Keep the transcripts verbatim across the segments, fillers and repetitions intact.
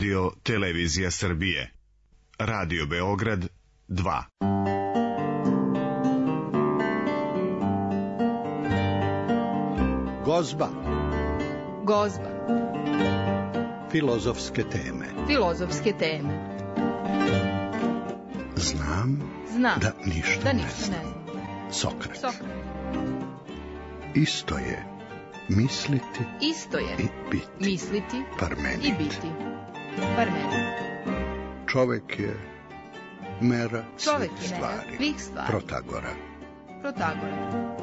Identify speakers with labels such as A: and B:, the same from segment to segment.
A: Radio Televizija Srbije. Radio Beograd dva.
B: Gozba.
C: Gozba.
B: Filozofske teme.
C: Filozofske teme.
B: Znam,
C: Znam
B: da ništa,
C: da
B: ne
C: ništa
B: znam.
C: ne znam.
B: Sokrat.
C: Sokrat.
B: Isto je misliti
C: Isto je
B: i biti.
C: misliti
B: Parmenid.
C: i biti. Parmenid.
B: Čovek je mera
C: Čovek
B: svih
C: je mera
B: stvari.
C: svih stvari.
B: Protagora.
C: Protagora.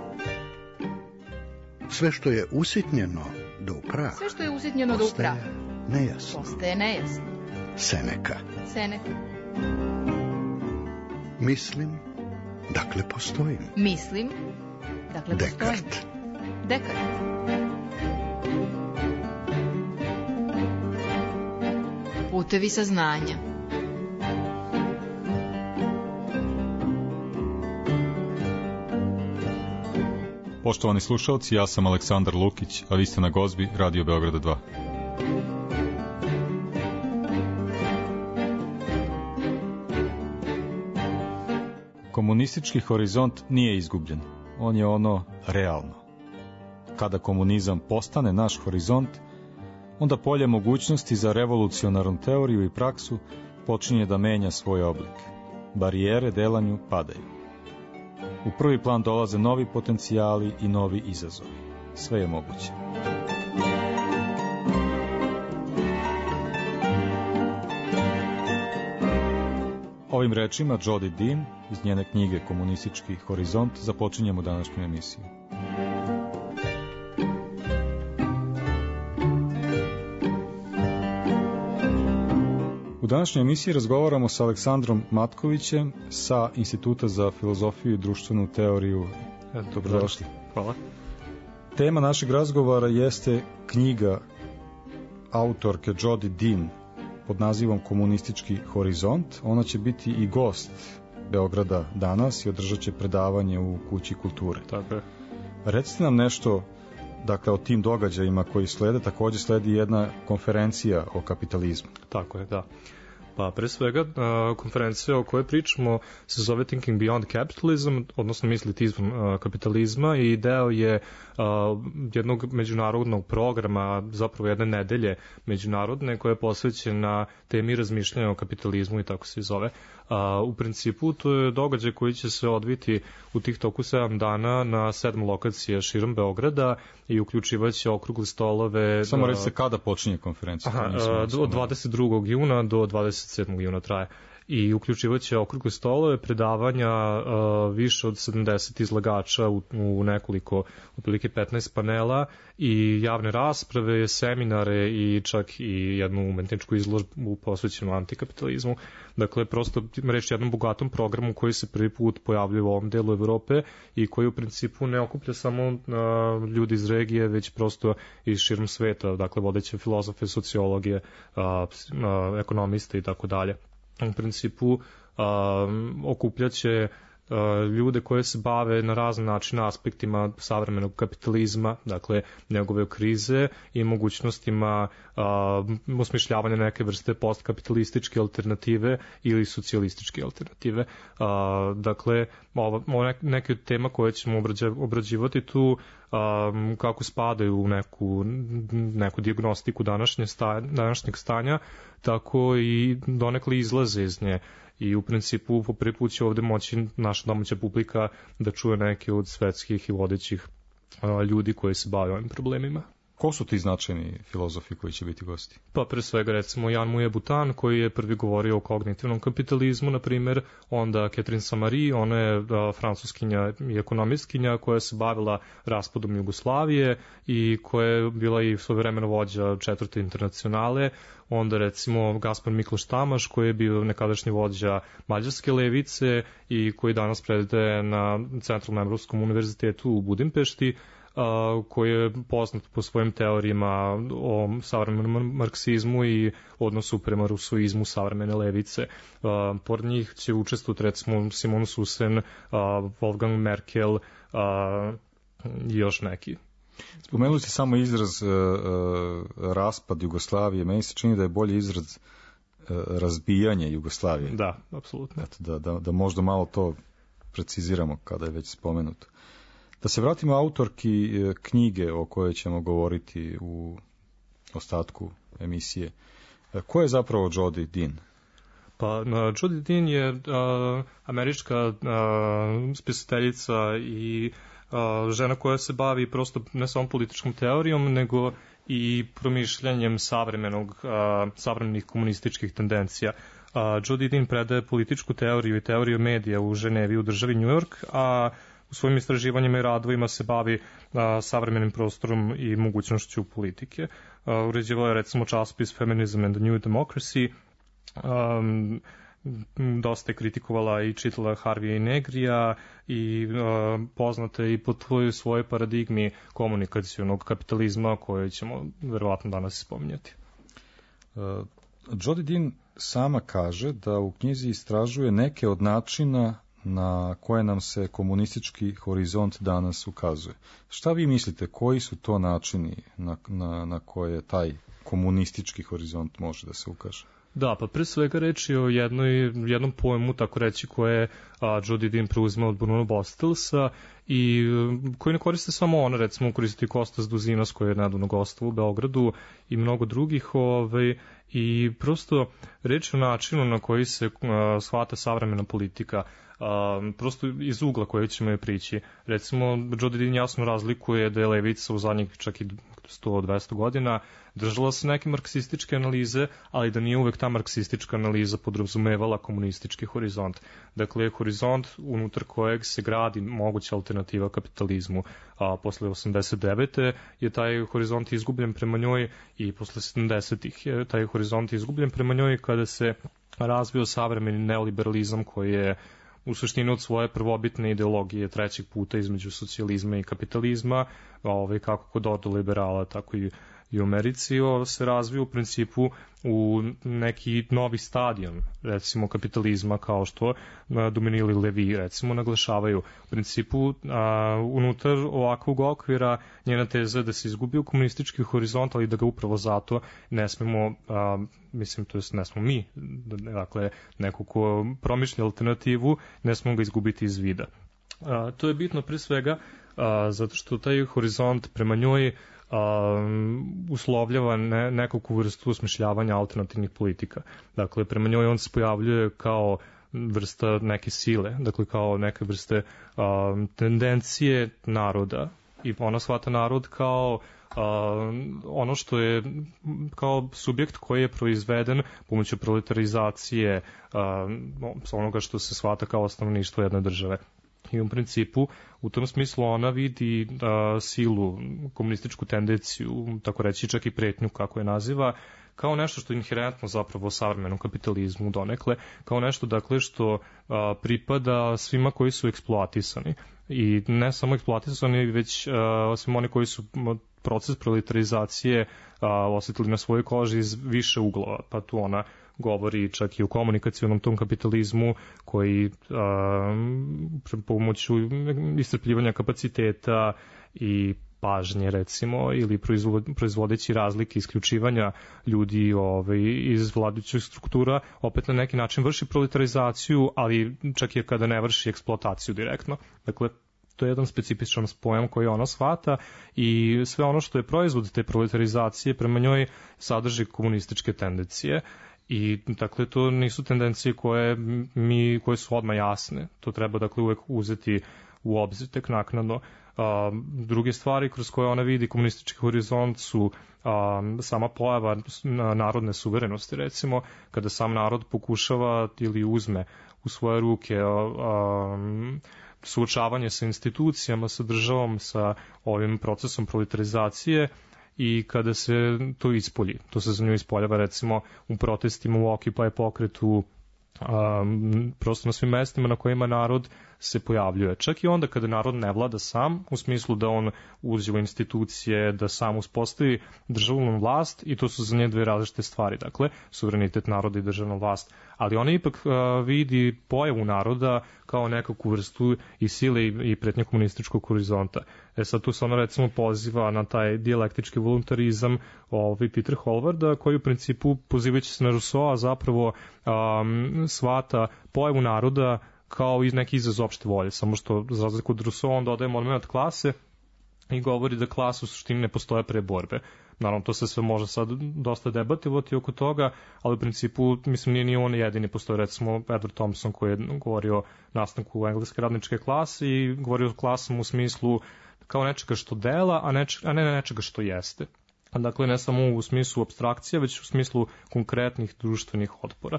B: Sve što je usitnjeno do upraha,
C: Sve što je usitnjeno do upraha
B: nejasno.
C: postaje nejasno.
B: Seneka.
C: Seneca.
B: Mislim, dakle postojim.
C: Mislim, dakle postojim.
B: Dekart.
C: Dekart. Putevi saznanja.
D: Poštovani slušalci, ja sam Aleksandar Lukić, a vi ste na Gozbi Radio Beograda dva. Komunistički horizont nije izgubljen, on je ono realno. Kada komunizam postane naš horizont, onda polje mogućnosti za revolucionarnu teoriju i praksu počinje da menja svoj oblik. Barijere delanju padaju. U prvi plan dolaze novi potencijali i novi izazovi. Sve je moguće. Ovim rečima Jodi Dean iz njene knjige Komunistički horizont započinjemo današnju emisiju. U današnjoj emisiji razgovaramo sa Aleksandrom Matkovićem sa Instituta za filozofiju i društvenu teoriju. Dobrodošli.
E: Hvala.
D: Tema našeg razgovora jeste knjiga autorke Jodi Dean pod nazivom Komunistički horizont. Ona će biti i gost Beograda danas i održat će predavanje u Kući kulture.
E: Tako je.
D: Recite nam nešto, dakle, o tim događajima koji slede. Također sledi jedna konferencija o kapitalizmu.
E: Tako je, da. Pa pre svega konferencija o kojoj pričamo se zove Thinking Beyond Capitalism, odnosno misliti izvan kapitalizma, i deo je jednog međunarodnog programa, zapravo jedne nedelje međunarodne, koja je posvećena temi razmišljanja o kapitalizmu i tako se zove. U principu to je događaj koji će se odviti u tih toku sedam dana na sedam lokacija širom Beograda i uključivaće okrugle stolove.
D: Samo recite kada počinje konferencija?
E: Aha, od dvadeset drugog juna do dvadeset sedmog juna traje. I uključivaće okrugle stolove, predavanja, uh, više od sedamdeset izlagača u, u nekoliko, otprilike petnaest panela i javne rasprave, seminare i čak i jednu umetničku izložbu posvećenu antikapitalizmu. Dakle, prosto reći jednom bogatom programu koji se prvi put pojavljuje u ovom delu Evrope i koji u principu ne okuplja samo uh, ljudi iz regije, već prosto iz širom sveta, dakle vodeće filozofe, sociologije, uh, uh, ekonomiste i tako dalje. U principu um, okupljaće uh, ljude koje se bave na razne načine aspektima savremenog kapitalizma, dakle njegove krize i mogućnostima uh, osmišljavanja neke vrste postkapitalističke alternative ili socijalističke alternative. Uh, dakle, ova, ova neke od tema koje ćemo obrađivati tu Um, kako spadaju u neku, neku dijagnostiku današnje sta, današnjeg stanja, tako i donekle izlaze iz nje. I u principu po prvi put će ovde moći naša domaća publika da čuje neke od svetskih i vodećih uh, ljudi koji se bave ovim problemima.
D: Ko su ti značajni filozofi koji će biti gosti?
E: Pa pre svega recimo Jan Muje Butan koji je prvi govorio o kognitivnom kapitalizmu, na primjer, onda Catherine Samari, ona je a, francuskinja i ekonomistkinja koja se bavila raspadom Jugoslavije i koja je bila i svojevremeno vođa četvrte internacionale, onda recimo Gaspar Mikloš Tamaš koji je bio nekadašnji vođa mađarske levice i koji danas predaje na Centralnom Evropskom univerzitetu u Budimpešti, Uh, koji je poznat po svojim teorijama o savremenom marksizmu i odnosu prema rusoizmu savremene levice. Uh, pored njih će učestvovati recimo Simon Susen, uh, Wolfgang Merkel uh, i još neki.
D: Spomenuli ste samo izraz uh, uh, raspad Jugoslavije. Meni se čini da je bolji izraz uh, razbijanje Jugoslavije.
E: Da, apsolutno.
D: Eto, da, da, da možda malo to preciziramo kada je već spomenuto. Da se vratimo autorki uh, knjige o kojoj ćemo govoriti u ostatku emisije. Uh, ko je zapravo Jodi Dean?
E: Pa, uh, Jodi Dean je uh, američka uh, spisateljica i Uh, žena koja se bavi prosto ne samo političkom teorijom, nego i promišljanjem savremenog, uh, savremenih komunističkih tendencija. Uh, Jodi Dean predaje političku teoriju i teoriju medija u Ženevi u državi New York, a u svojim istraživanjima i radovima se bavi uh, savremenim prostorom i mogućnošću politike. Uh, uređivala je recimo časopis Feminism and the New Democracy, um, dosta je kritikovala i čitala Harvija i Negrija i uh, poznata i po tvojoj svojoj paradigmi komunikacionog kapitalizma koje ćemo verovatno danas spominjati.
D: Uh, Jodi Dean sama kaže da u knjizi istražuje neke od načina na koje nam se komunistički horizont danas ukazuje. Šta vi mislite, koji su to načini na, na, na koje taj komunistički horizont može da se ukaže?
E: Da, pa pre svega reč je o jednoj, jednom pojmu, tako reći, koje a, Jodi Dean preuzima od Bruno Bostelsa i koji ne koriste samo ona, recimo koristi Kostas Duzinas koji je nedavno gostovao u Beogradu i mnogo drugih, ovaj, i prosto reč je o načinu na koji se a, shvata savremena politika, a, prosto iz ugla koje ćemo je prići. Recimo, Jodi Dean jasno razlikuje da je levica u zadnjih čak i sto do dvesta godina držala se neke marksističke analize, ali da nije uvek ta marksistička analiza podrazumevala komunistički horizont. Dakle, horizont unutar kojeg se gradi moguća alternativa kapitalizmu. A posle osamdeset devete je taj horizont izgubljen prema njoj i posle sedamdesetih je taj horizont izgubljen prema njoj kada se razvio savremeni neoliberalizam koji je u suštini od svoje prvobitne ideologije trećeg puta između socijalizma i kapitalizma, ovaj, kako kod ordoliberala, tako i i u Americi, se razviju u principu u neki novi stadion, recimo kapitalizma, kao što Dominili Levi, recimo, naglašavaju. U principu, a, unutar ovakvog okvira njena teza je da se izgubio komunistički horizont, ali da ga upravo zato ne smemo, a, mislim, to jest ne smo mi, dakle, neko ko promišlja alternativu, ne smemo ga izgubiti iz vida. A, to je bitno pre svega a, zato što taj horizont prema njoj Um, uslovljava ne, nekakvu vrstu osmišljavanja alternativnih politika. Dakle, prema njoj on se pojavljuje kao vrsta neke sile, dakle kao neke vrste um, tendencije naroda i ona shvata narod kao um, ono što je kao subjekt koji je proizveden pomoću proletarizacije um, onoga što se shvata kao stanovništvo jedne države. I u principu, u tom smislu ona vidi a, silu, komunističku tendenciju, tako reći čak i pretnju kako je naziva, kao nešto što je inherentno zapravo savremenom kapitalizmu donekle, kao nešto dakle što a, pripada svima koji su eksploatisani. I ne samo eksploatisani, već a, svima oni koji su proces proletarizacije a, osjetili na svojoj koži iz više uglova, pa tu ona govori čak i o komunikacionom tom kapitalizmu koji a, pomoću iscrpljivanja kapaciteta i pažnje recimo ili proizvodeći razlike isključivanja ljudi ovaj, iz vladajućih struktura opet na neki način vrši proletarizaciju, ali čak i kada ne vrši eksploataciju direktno. Dakle, to je jedan specifičan pojam koji ona shvata i sve ono što je proizvod te proletarizacije prema njoj sadrži komunističke tendencije. I dakle to nisu tendencije koje mi koje su odmah jasne. To treba dakle uvek uzeti u obzir tek naknadno. A, druge stvari kroz koje ona vidi komunistički horizont su a, sama pojava narodne suverenosti, recimo kada sam narod pokušava ili uzme u svoje ruke a, a, suočavanje sa institucijama, sa državom, sa ovim procesom proletarizacije. I kada se to ispolji, to se za nju ispoljava recimo u protestima, u Occupy pokretu, um, prosto na svim mestima na kojima narod se pojavljuje. Čak i onda kada narod ne vlada sam, u smislu da on uđe u institucije, da sam uspostavi državnu vlast, i to su za nje dve različite stvari, dakle, suverenitet naroda i državna vlast. Ali ona ipak uh, vidi pojavu naroda kao nekakvu vrstu i sile i, i pretnje komunističkog horizonta. E sad tu se ono recimo poziva na taj dijalektički voluntarizam ovaj Peter Holvarda, koji u principu pozivajući se na Rousseau zapravo um, shvata pojavu naroda kao i neki izraz opšte volje, samo što za razliku od Rousseau on dodaje moment klase i govori da klasa u suštini ne postoje pre borbe. Naravno, to se sve može sad dosta debativati oko toga, ali u principu, mislim, nije ni on jedini, postoje recimo Edward Thompson koji je govorio o nastanku engleske radničke klase i govorio o klasama u smislu kao nečega što dela, a, neč, a ne nečega što jeste. Dakle, ne samo u smislu apstrakcija, već u smislu konkretnih društvenih otpora.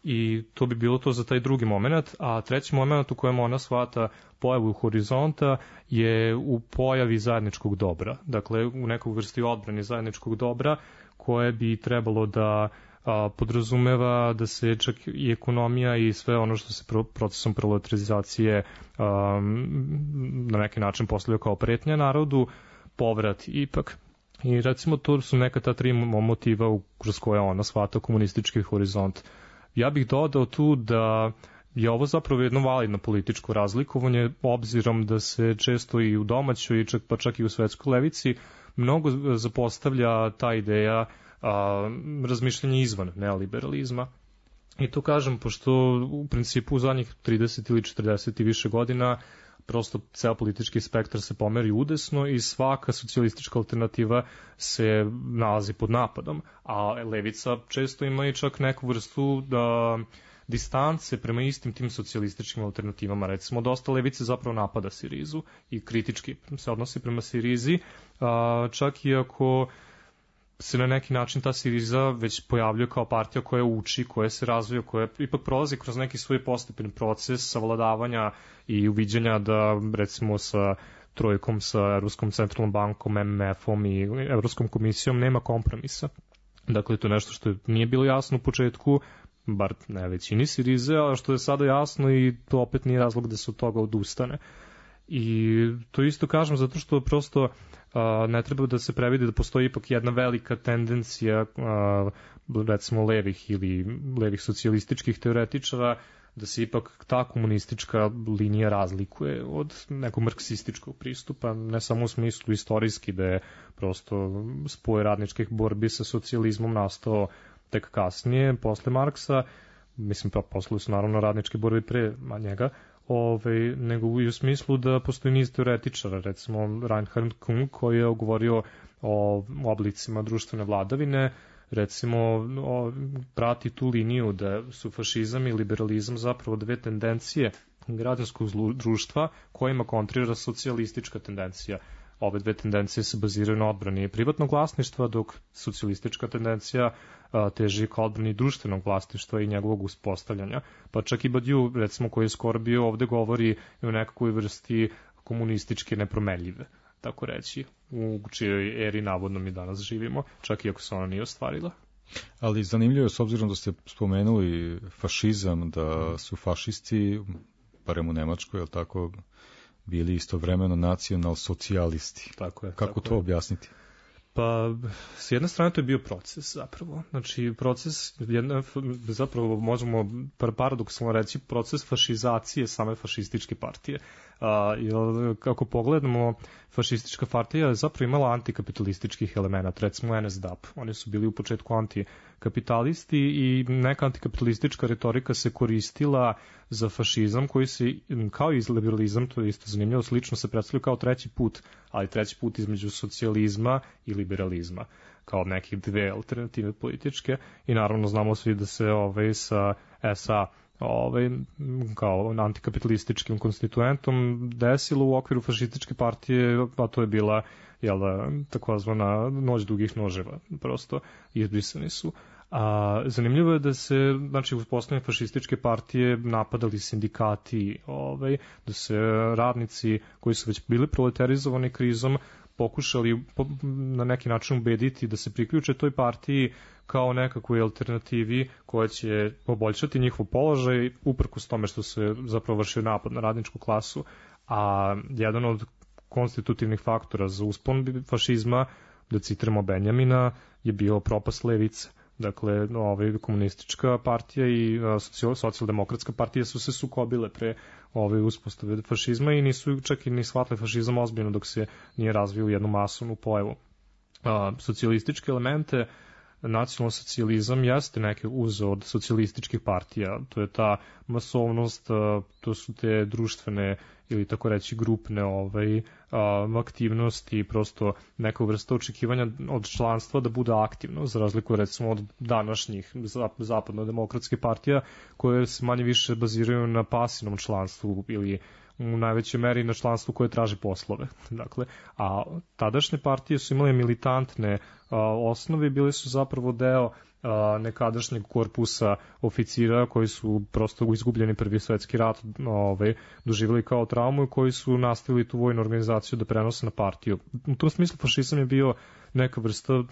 E: I to bi bilo to za taj drugi moment, a treći moment u kojem ona shvata pojavu horizonta je u pojavi zajedničkog dobra. Dakle, u nekog vrsti odbrani zajedničkog dobra koje bi trebalo da a, podrazumeva da se čak i ekonomija i sve ono što se pro, procesom proletarizacije a, na neki način postavlja kao pretnja narodu, povrat ipak. I recimo to su neka ta tri motiva kroz koje ona shvata komunistički horizont. Ja bih dodao tu da je ovo zapravo jedno validno političko razlikovanje, obzirom da se često i u domaćoj, čak, pa čak i u svetskoj levici, mnogo zapostavlja ta ideja a, razmišljanja izvan neoliberalizma. I to kažem, pošto u principu u zadnjih trideset ili četrdeset i više godina prosto ceo politički spektar se pomeri udesno i svaka socijalistička alternativa se nalazi pod napadom, a levica često ima i čak neku vrstu da distance prema istim tim socijalističkim alternativama. Recimo, dosta levice zapravo napada Sirizu i kritički se odnosi prema Sirizi, čak i ako se na neki način ta Siriza već pojavljuje kao partija koja uči, koja se razvija, koja ipak prolazi kroz neki svoj postepeni proces savladavanja i uviđanja da recimo sa trojkom, sa Evropskom centralnom bankom, M M F-om i Evropskom komisijom nema kompromisa. Dakle, to je nešto što nije bilo jasno u početku, bar ne većini Sirize, a što je sada jasno i to opet nije razlog da se od toga odustane. I to isto kažem zato što prosto a, ne treba da se previdi da postoji ipak jedna velika tendencija a, recimo levih ili levih socijalističkih teoretičara da se ipak ta komunistička linija razlikuje od nekog marksističkog pristupa, ne samo u smislu istorijski da je prosto spoj radničkih borbi sa socijalizmom nastao tek kasnije, posle Marksa, mislim pa posle su naravno radničke borbe pre njega, Ove, nego i u smislu da postoji niz teoretičara, recimo Reinhard Kung koji je govorio o oblicima društvene vladavine, recimo o, prati tu liniju da su fašizam i liberalizam zapravo dve tendencije građanskog društva kojima kontrira socijalistička tendencija. Ove dve tendencije se baziraju na odbrani privatnog vlasništva, dok socijalistička tendencija a, teži ka odbrani društvenog vlasništva i njegovog uspostavljanja. Pa čak i Badiou, recimo, koji je skoro bio ovde, govori o nekakvoj vrsti komunističke nepromenljive, tako reći, u čijoj eri navodno mi danas živimo, čak i ako se ona nije ostvarila.
D: Ali zanimljivo je, s obzirom da ste spomenuli fašizam, da su fašisti, barem u Nemačkoj, je li tako, bili istovremeno nacional-socijalisti.
E: Tako je.
D: Kako
E: tako
D: to
E: je.
D: objasniti?
E: Pa, s jedne strane to je bio proces zapravo. Znači, proces, jedna, zapravo možemo paradoksalno reći, proces fašizacije same fašističke partije. A, jer, kako pogledamo, fašistička partija je zapravo imala antikapitalističkih elemenata, recimo N S D A P. Oni su bili u početku antikapitalisti i neka antikapitalistička retorika se koristila za fašizam koji se, kao i liberalizam, to je isto zanimljivo, slično se predstavlja kao treći put, ali treći put između socijalizma i liberalizma, kao neke dve alternative političke i naravno znamo svi da se ovaj, sa S A ovaj, kao antikapitalističkim konstituentom desilo u okviru fašističke partije, a to je bila jel, takozvana noć dugih noževa, prosto izbrisani su. A, zanimljivo je da se, znači, uz postavljanje fašističke partije napadali sindikati, ovaj, da se radnici koji su već bili proletarizovani krizom pokušali na neki način ubediti da se priključe toj partiji kao nekakvoj alternativi koja će poboljšati njihov položaj uprkos tome što se zapravo vršio napad na radničku klasu, a jedan od konstitutivnih faktora za uspon fašizma, da citiramo Benjamina, je bio propast levice. Dakle, ovaj, komunistička partija i socijal, socijaldemokratska partija su se sukobile pre ove uspostave fašizma i nisu čak i ni shvatili fašizam ozbiljno dok se nije razvio u jednu masovnu pojavu. A, socijalističke elemente, nacionalni socijalizam jeste neke uzeo od socijalističkih partija, to je ta masovnost, to su te društvene ili tako reći grupne ovaj, aktivnosti, prosto neka vrsta očekivanja od članstva da bude aktivno, za razliku recimo od današnjih zapadno-demokratskih partija koje se manje više baziraju na pasivnom članstvu ili u najvećoj meri na članstvu koje traži poslove. Dakle, a tadašnje partije su imale militantne a, osnove i bili su zapravo deo a, nekadašnjeg korpusa oficira koji su prosto izgubljeni prvi svetski rat ovaj, doživjeli kao traumu i koji su nastavili tu vojnu organizaciju da prenose na partiju. U tom smislu fašizam je bio neka vrsta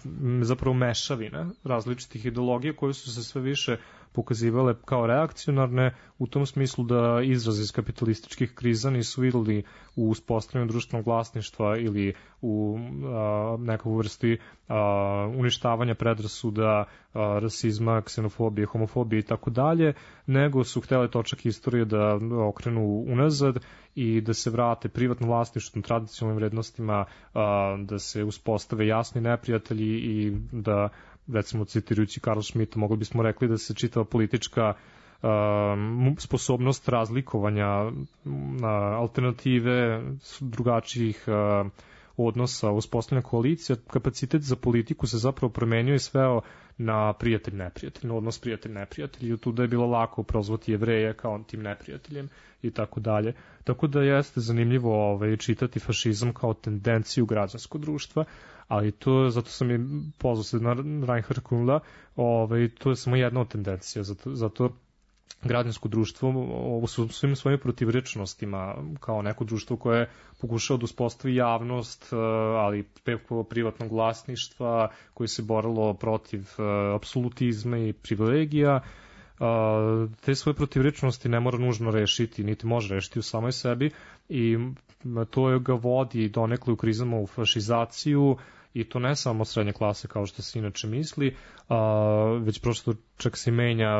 E: zapravo mešavine različitih ideologija koje su se sve više pokazivale kao reakcionarne u tom smislu da izraze iz kapitalističkih kriza nisu videli u uspostavljanju društvenog vlasništva ili u a, nekakvu vrsti a, uništavanja predrasuda, a, rasizma, ksenofobije, homofobije i tako dalje, nego su htjeli točak istorije da okrenu unazad i da se vrate privatno vlasništvo, tradicionalnim vrednostima, a, da se uspostave jasni neprijatelji i da, recimo citirajući Karl Schmitta, mogli bismo rekli da se čitava politička uh, sposobnost razlikovanja uh, alternative drugačijih uh, odnosa uspostavljanja koalicija, kapacitet za politiku se zapravo promenio i sveo na prijatelj-neprijatelj, na odnos prijatelj-neprijatelj i tu da je bilo lako prozvati Jevreje kao tim neprijateljem i tako dalje. Tako da jeste zanimljivo ovaj, čitati fašizam kao tendenciju građanskog društva, ali to, zato sam i pozvao se na Reinhard Kundla, ovaj, to je samo jedna od tendencija, zato, zato građansko društvo u svim svojim protivrečnostima kao neko društvo koje pokušao da uspostavi javnost, ali preko privatnog vlasništva, koje se borilo protiv apsolutizma i privilegija, te svoje protivrečnosti ne mora nužno rešiti, niti može rešiti u samoj sebi i to ga vodi donekle u krizama u fašizaciju i to ne samo srednje klase kao što se inače misli, a, već prosto čak se menja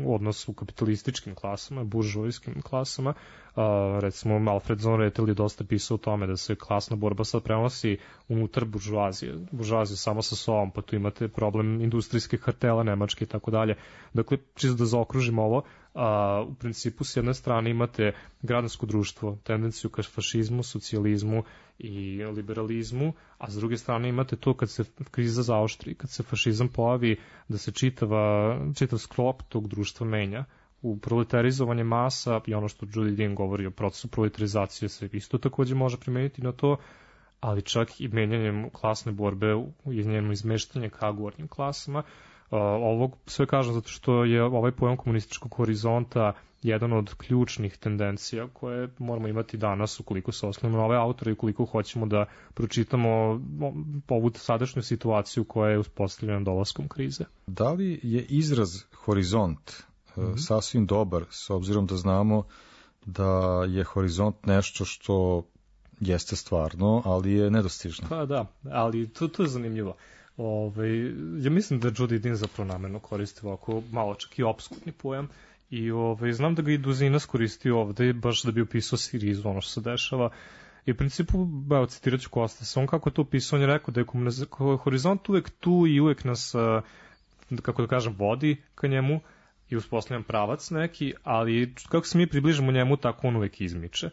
E: odnos u kapitalističkim klasama, buržovijskim klasama. A, recimo Alfred von Rethel je dosta pisao o tome da se klasna borba sad prenosi unutar buržoazije, buržoazije samo sa sobom, pa tu imate problem industrijskih kartela, nemačke i tako dalje. Dakle, čisto da zaokružimo ovo, a, u principu s jedne strane imate građansko društvo, tendenciju ka fašizmu, socijalizmu i liberalizmu, a s druge strane imate to kad se kriza zaoštri, kad se fašizam pojavi, da se čitava, čitav sklop tog društva menja. U proletarizovanje masa i ono što Judy Dean govori o procesu proletarizacije se isto takođe može primeniti na to, ali čak i menjanjem klasne borbe i njeno izmeštanje ka gornjim klasama. Ovo sve kažem zato što je ovaj pojam komunističkog horizonta jedan od ključnih tendencija koje moramo imati danas ukoliko se osnovimo na ove autore i ukoliko hoćemo da pročitamo ovu sadašnju situaciju koja je uspostavljena dolaskom krize.
D: Da li je izraz horizont mm-hmm. sasvim dobar, s obzirom da znamo da je horizont nešto što jeste stvarno, ali je nedostižno?
E: Pa da, ali to, to je zanimljivo. Ove, ja mislim da Judy Dean zapravo namerno koristi ovako malo čak i opskurni pojam i ove, znam da ga i Duzinas koristi ovde baš da bi opisao Sirizu, ono što se dešava. I u principu, evo, citirat ću Kostasa, on kako je to opisao, on je rekao da je horizont uvek tu i uvek nas, kako da kažem, vodi ka njemu i uspostavljam pravac neki, ali kako se mi približamo njemu, tako on uvek izmiče.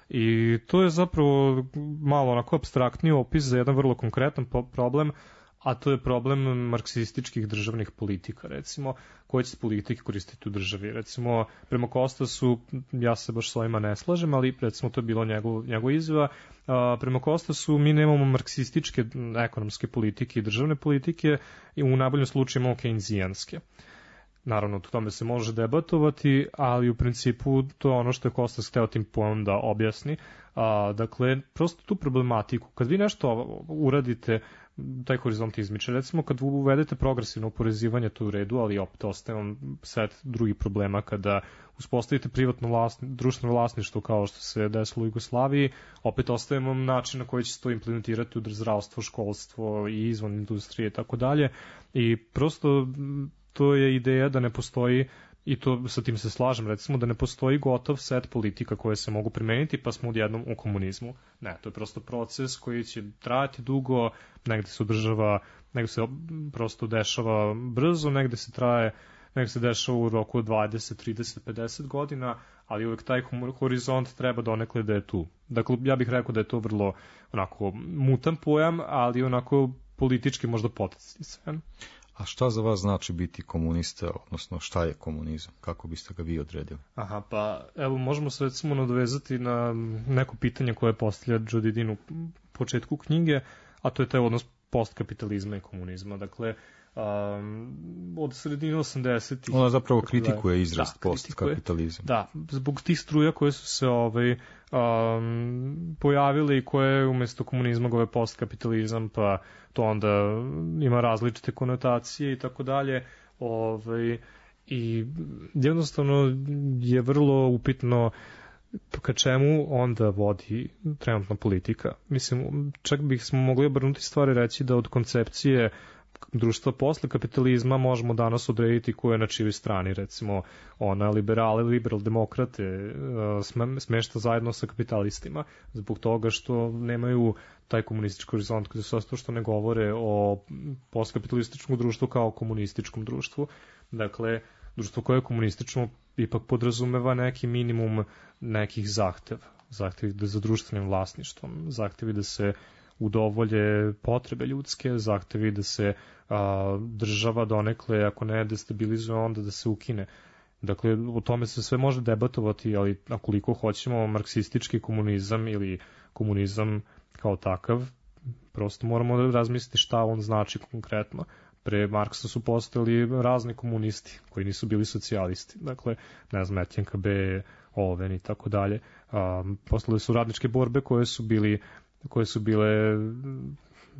E: I to je zapravo malo onako abstraktniji opis za jedan vrlo konkretan problem, a to je problem marksističkih državnih politika, recimo, koje će se politike koristiti u državi. Recimo, prema Kostasu, ja se baš s ovima ne slažem, ali recimo to je bilo njegov, njegov izjava, a, prema Kostasu mi nemamo marksističke ekonomske politike i državne politike i u najboljem slučaju imamo keynesijanske. Naravno, o tome se može debatovati, ali u principu to je ono što je Kostas hteo tim pojmom da objasni. A, dakle, prosto tu problematiku, kad vi nešto uradite taj horizont izmiče. Recimo, kad uvedete progresivno oporezivanje, to je u redu, ali opet ostaje vam set drugih problema kada uspostavite privatno vlasni, društveno vlasništvo kao što se desilo u Jugoslaviji, opet ostaje vam način na koji će se to implementirati u zdravstvo, školstvo i izvan industrije i tako dalje. I prosto to je ideja da ne postoji, i to sa tim se slažem, recimo da ne postoji gotov set politika koje se mogu primeniti pa smo odjednom u komunizmu. Ne, to je prosto proces koji će trajati dugo, negde se održava, negde se prosto dešava brzo, negde se traje, negde se dešava u roku od dvadeset, trideset, pedeset godina, ali uvek taj horizont treba donekle da je tu. Dakle, ja bih rekao da je to vrlo onako mutan pojam, ali onako politički možda potencijalno.
D: A šta za vas znači biti komunista, odnosno šta je komunizam? Kako biste ga vi odredili?
E: Aha, pa evo možemo se recimo nadovezati na neko pitanje koje postavlja Jodidin u početku knjige, a to je taj odnos postkapitalizma i komunizma. Dakle, um, od sredine osamdesetih...
D: Ona zapravo kritikuje izraz
E: da,
D: postkapitalizam.
E: Da, zbog tih struja koje su se ovaj, um, pojavile i koje umjesto komunizma gove postkapitalizam, pa to onda ima različite konotacije i tako dalje. Ovaj, I jednostavno je vrlo upitno ka čemu onda vodi trenutna politika. Mislim, čak bih smo mogli obrnuti stvari reći da od koncepcije društva posle kapitalizma možemo danas odrediti ko je na čijoj strani, recimo ona liberale, liberal demokrate smešta zajedno sa kapitalistima zbog toga što nemaju taj komunistički horizont, kada se to što ne govore o postkapitalističkom društvu kao komunističkom društvu. Dakle, društvo koje je komunistično ipak podrazumeva neki minimum nekih zahteva. Zahtevi za društvenim vlasništvom, zahtevi da se udovolje potrebe ljudske, zahtevi da se a, država donekle, ako ne destabilizuje, onda da se ukine. Dakle, o tome se sve može debatovati, ali akoliko hoćemo marksistički komunizam ili komunizam kao takav, prosto moramo da razmisliti šta on znači konkretno. Pre Marksa su postojali razni komunisti koji nisu bili socijalisti. Dakle, ne znam, Etjenka B, Oven i tako dalje. Postojale su radničke borbe koje su bili koje su bile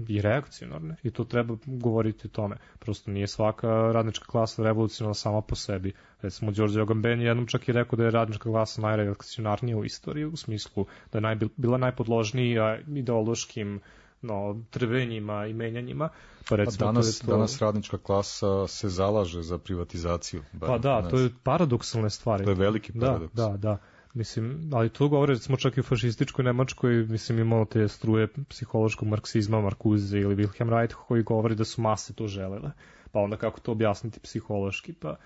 E: i reakcionarne i to treba govoriti o tome. Prosto nije svaka radnička klasa revolucionarna sama po sebi. Recimo, Đorđe Agamben jednom čak i rekao da je radnička klasa najreakcionarnija u istoriji, u smislu da je najbil, bila najpodložnija ideološkim no, trvenjima i menjanjima. Pa, recimo,
D: A danas,
E: to to...
D: danas radnička klasa se zalaže za privatizaciju.
E: Pa da, to je paradoksalne stvari.
D: To je veliki paradoks.
E: Da, da, da. Mislim, ali to govore, recimo, čak i u fašističkoj Nemačkoj, mislim, imao te struje psihološkog marksizma, Markuze ili Wilhelm Reich, koji govori da su mase to želele. Pa onda kako to objasniti psihološki? Pa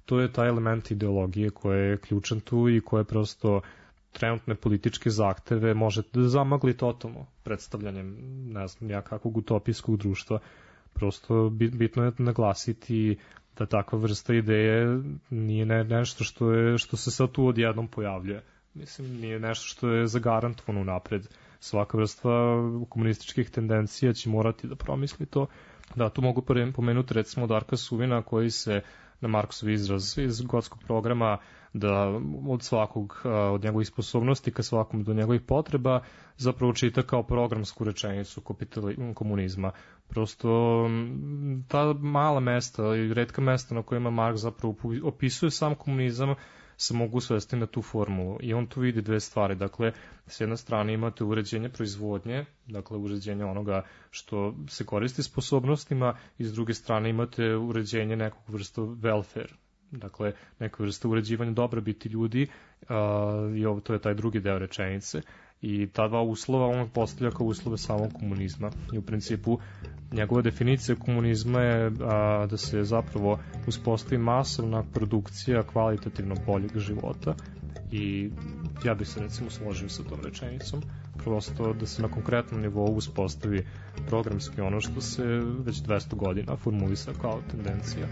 E: to je taj element ideologije koji je ključan tu i koje prosto trenutne političke zahteve možete da zamagli totalno predstavljanjem, ne znam, jakakvog utopijskog društva. Prosto bitno je naglasiti da takva vrsta ideje nije ne, nešto što, je, što se sad tu odjednom pojavljuje. Mislim, nije nešto što je zagarantovano unapred. Svaka vrsta komunističkih tendencija će morati da promisli to. Da, tu mogu pomenuti recimo Darka Suvina koji se na Marksov izraz iz gotskog programa da od svakog, od njegovih sposobnosti ka svakom do njegovih potreba zapravo čita kao programsku rečenicu komunizma. Prosto ta mala mesta i retka mesta na kojima Marks zapravo opisuje sam komunizam se mogu svesti na tu formulu i on tu vidi dve stvari. Dakle, s jedne strane imate uređenje proizvodnje, dakle uređenje onoga što se koristi sposobnostima i s druge strane imate uređenje nekog vrsta welfare, dakle neka vrsta uređivanja dobrobiti ljudi uh, i ovo to je taj drugi deo rečenice i ta dva uslova on postavlja kao uslove samog komunizma i u principu njegova definicija komunizma je a, da se zapravo uspostavi masovna produkcija kvalitativno boljeg života i ja bih se recimo složio sa tom rečenicom, prosto da se na konkretnom nivou uspostavi programski ono što se već dvesta godina formulisa kao tendencija.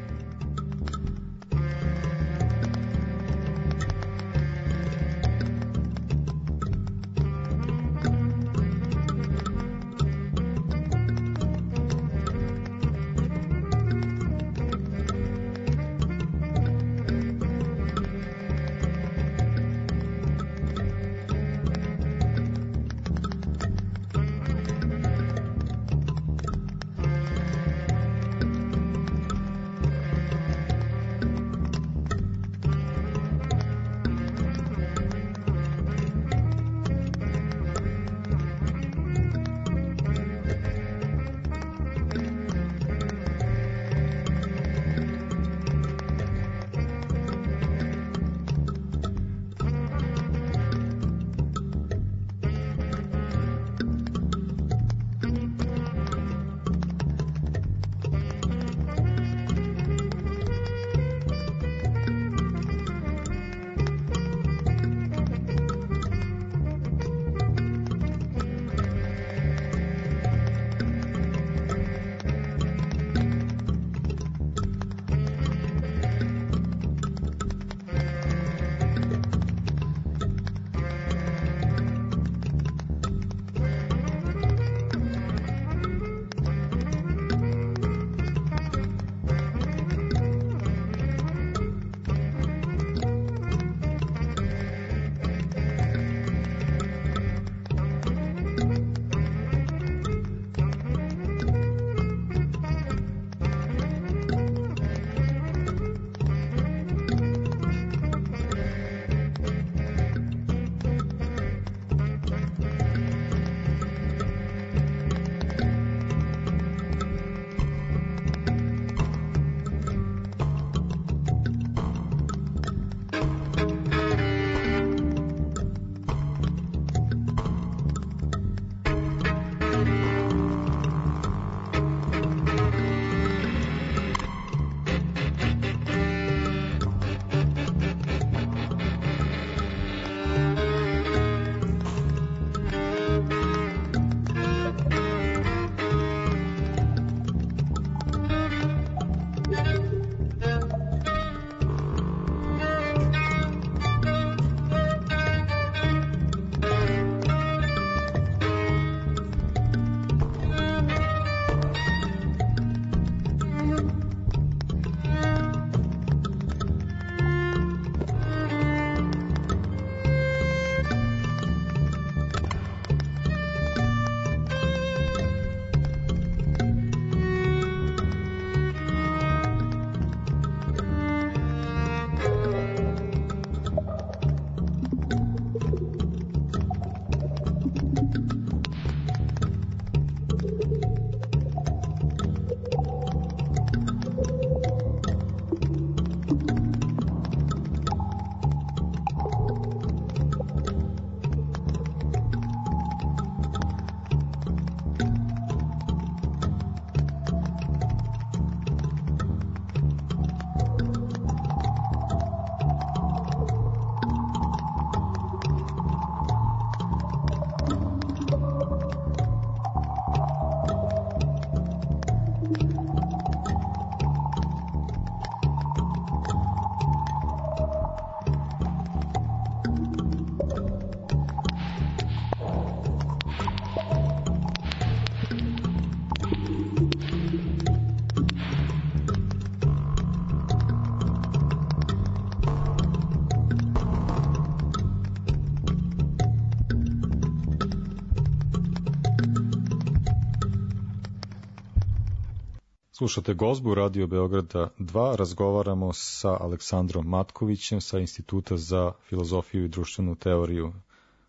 D: Slušate Gozbu Radio Beograda dva, razgovaramo sa Aleksandrom Matkovićem sa Instituta za filozofiju i društvenu teoriju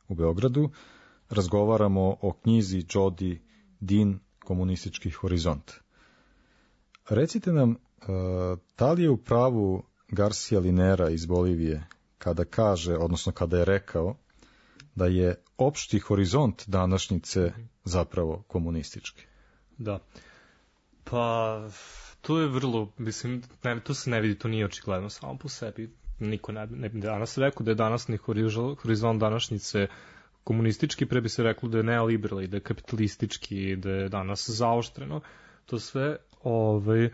D: u Beogradu. Razgovaramo o knjizi Jodi Dean Komunistički horizont. Recite nam, da li je u pravu Garcia Linera iz Bolivije kada kaže, odnosno kada je rekao, da je opšti horizont današnjice zapravo komunistički?
E: Da. Pa, to je vrlo, mislim, ne, to se ne vidi, to nije očigledno samo po sebi. Niko ne, ne bi danas rekao da je danasni horizont današnjice komunistički, pre bi se reklo da je neoliberalni, da je kapitalistički, da je danas zaoštreno. To sve, ovaj,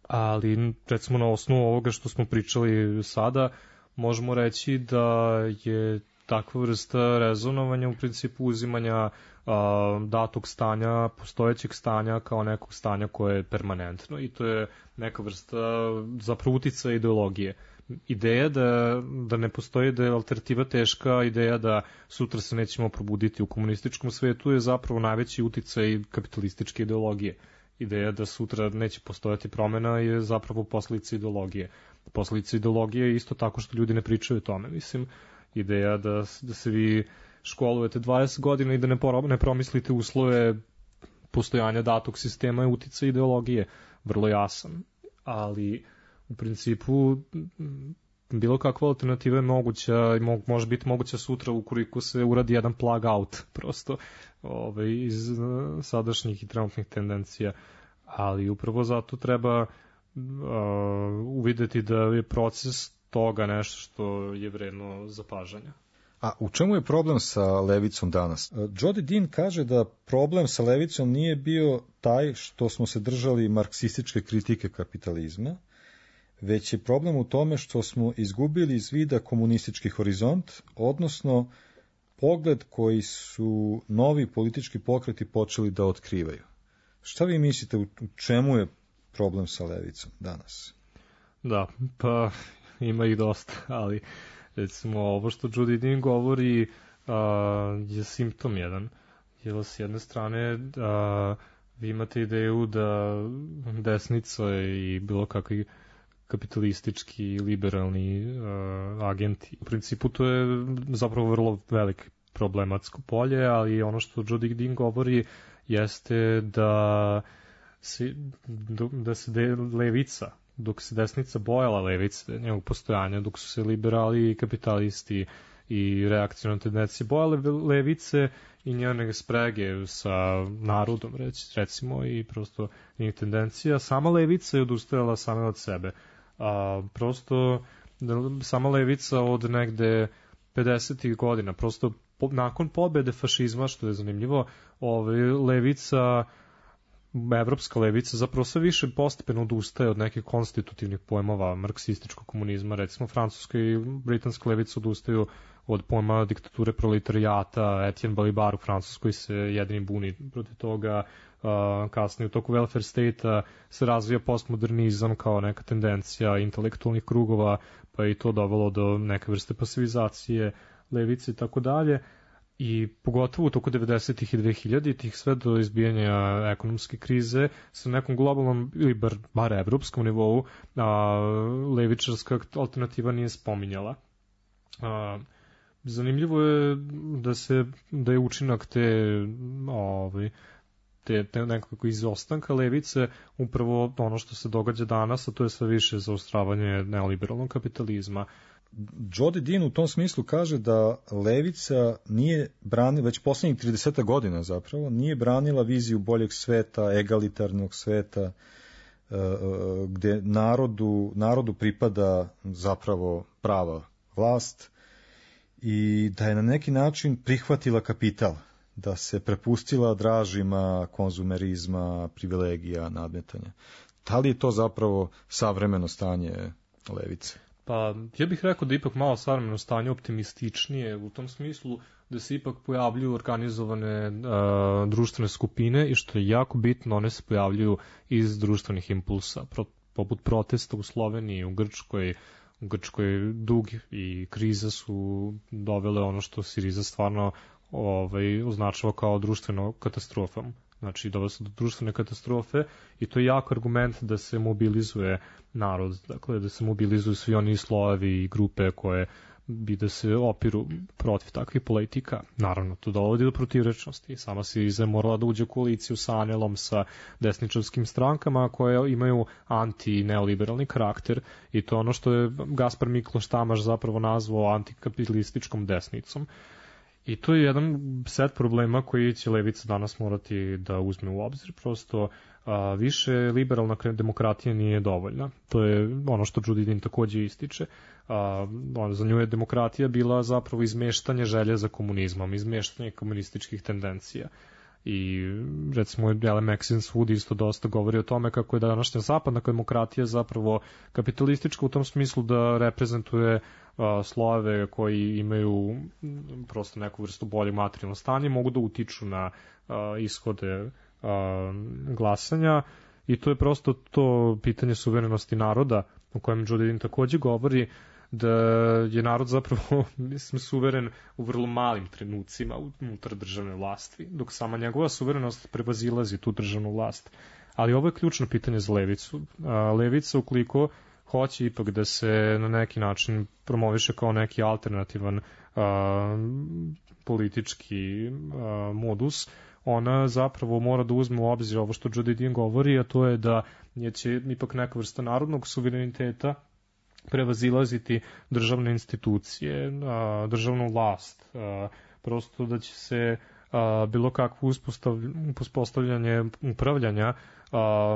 E: ali recimo na osnovu ovoga što smo pričali sada, možemo reći da je takva vrsta rezonovanja u principu uzimanja a, datog stanja, postojećeg stanja kao nekog stanja koje je permanentno i to je neka vrsta zapravo uticaja ideologije. Ideja da, da ne postoji, da je alternativa teška, ideja da sutra se nećemo probuditi u komunističkom svetu je zapravo najveći uticaj kapitalističke ideologije. Ideja da sutra neće postojati promena je zapravo posledica ideologije. Posledica ideologije je isto tako što ljudi ne pričaju o tome. Mislim, ideja da, da se vi školujete dvadeset godina i da ne, por, ne promislite uslove postojanja datog sistema je uticaj ideologije. Vrlo jasan. Ali u principu bilo kakva alternativa je moguća i mo, može biti moguća sutra ukoliko se uradi jedan plug out prosto ovaj, iz sadašnjih i trenutnih tendencija. Ali upravo zato treba uh, uvideti da je proces toga nešto što je vredno zapažanja.
D: A u čemu je problem sa levicom danas? Jodi Dean kaže da problem sa levicom nije bio taj što smo se držali marksističke kritike kapitalizma, već je problem u tome što smo izgubili iz vida komunistički horizont, odnosno pogled koji su novi politički pokreti počeli da otkrivaju. Šta vi mislite, u čemu je problem sa levicom danas?
E: Da, pa ima ih dosta, ali recimo ovo što Jodi Dean govori a, je simptom jedan. Jer s jedne strane a, vi imate ideju da desnica i bilo kakvi kapitalistički, liberalni uh, agenti. U principu to je zapravo vrlo velik problematsko polje, ali ono što Jodi Dean govori jeste da se, da se de, levica, dok se desnica bojala levice, njegovog postojanja, dok su se liberali i kapitalisti i reakcijne tendencije bojale levice i njene sprege sa narodom, recimo, i prosto njih tendencija, sama levica je odustajala same od sebe. A, prosto sama levica od negde pedesetih godina, prosto po, nakon pobede fašizma, što je zanimljivo, ovaj, levica, evropska levica zapravo sve više postepeno odustaje od nekih konstitutivnih pojmova marksističkog komunizma, recimo francuska i britanska levica odustaju od pojma diktature proletarijata, Etienne Balibar u Francuskoj se jedini buni protiv toga, uh, kasnije u toku welfare state-a se razvija postmodernizam kao neka tendencija intelektualnih krugova, pa je i to dovelo do neke vrste pasivizacije levice i tako dalje. I pogotovo u toku devedesetih i dvehiljaditih sve do izbijanja ekonomske krize sa nekom globalnom ili bar, bar evropskom nivou a, levičarska alternativa nije spominjala. A, zanimljivo je da se da je učinak te ovaj te, te nekako izostanka levice upravo ono što se događa danas, a to je sve više zaostravanje neoliberalnog kapitalizma.
D: Jodi Dean u tom smislu kaže da levica nije branila, već poslednjih trideset godina zapravo, nije branila viziju boljeg sveta, egalitarnog sveta, gde narodu, narodu pripada zapravo prava vlast i da je na neki način prihvatila kapital, da se prepustila dražima konzumerizma, privilegija, nadmetanja. Da li je to zapravo savremeno stanje levice?
E: Pa ja bih rekao da ipak malo savremeno stanje optimističnije u tom smislu da se ipak pojavljuju organizovane uh, društvene skupine i što je jako bitno, one se pojavljuju iz društvenih impulsa, pro, poput protesta u Sloveniji, u Grčkoj. U Grčkoj dug i kriza su dovele ono što Siriza stvarno ovaj, označava kao društveno katastrofom. Znači, dovelo se do društvene katastrofe i to je jak argument da se mobilizuje narod, dakle, da se mobilizuju svi oni slojevi i grupe koje bi da se opiru protiv takvih politika. Naravno, to dovodi do protivrečnosti. Sama Siriza morala da uđe u koaliciju sa Anelom, sa desničarskim strankama koje imaju anti-neoliberalni karakter i to ono što je Gaspar Mikloš Tamaš zapravo nazvao antikapitalističkom desnicom. I to je jedan set problema koji će levica danas morati da uzme u obzir. Prosto a, više liberalna demokratija nije dovoljna. To je ono što Judy Dean takođe ističe. A, on, za nju je demokratija bila zapravo izmeštanje želje za komunizmom, izmeštanje komunističkih tendencija. I recimo Ellen Maxine isto dosta govori o tome kako je današnja zapadna demokratija zapravo kapitalistička u tom smislu da reprezentuje a, slojeve koji imaju prosto neku vrstu bolje materijalno stanje, mogu da utiču na a, ishode a, glasanja i to je prosto to pitanje suverenosti naroda o kojem Judy Dean takođe govori, da je narod zapravo, mislim, suveren u vrlo malim trenucima unutar državne vlasti, dok sama njegova suverenost prevazilazi tu državnu vlast. Ali ovo je ključno pitanje za levicu. Levica, ukoliko hoće ipak da se na neki način promoviše kao neki alternativan a, politički a, modus, ona zapravo mora da uzme u obzir ovo što Judy Dean govori, a to je da je će ipak neka vrsta narodnog suvereniteta prevazilaziti državne institucije, državnu vlast, prosto da će se bilo kakvo uspostavljanje upravljanja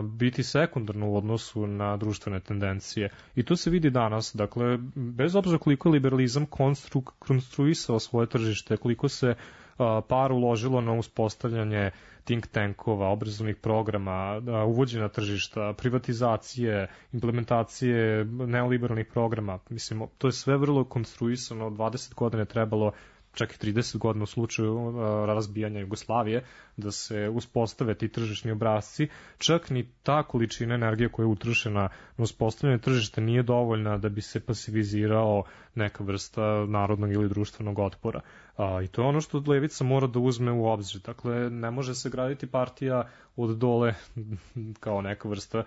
E: biti sekundarno u odnosu na društvene tendencije. I to se vidi danas, dakle, bez obzira koliko je liberalizam konstru, konstruisao svoje tržište, koliko se par uložilo na uspostavljanje think tankova, obrazovnih programa, uvođenja tržišta, privatizacije, implementacije neoliberalnih programa. Mislim, to je sve vrlo konstruisano, dvadeset godina je trebalo, čak i trideset godina u slučaju razbijanja Jugoslavije, da se uspostave ti tržišni obrazci. Čak ni ta količina energije koja je utrošena na uspostavljanje tržišta nije dovoljna da bi se pasivizirao neka vrsta narodnog ili društvenog otpora. A, I to je ono što levica mora da uzme u obzir. Dakle, ne može se graditi partija od dole kao neka vrsta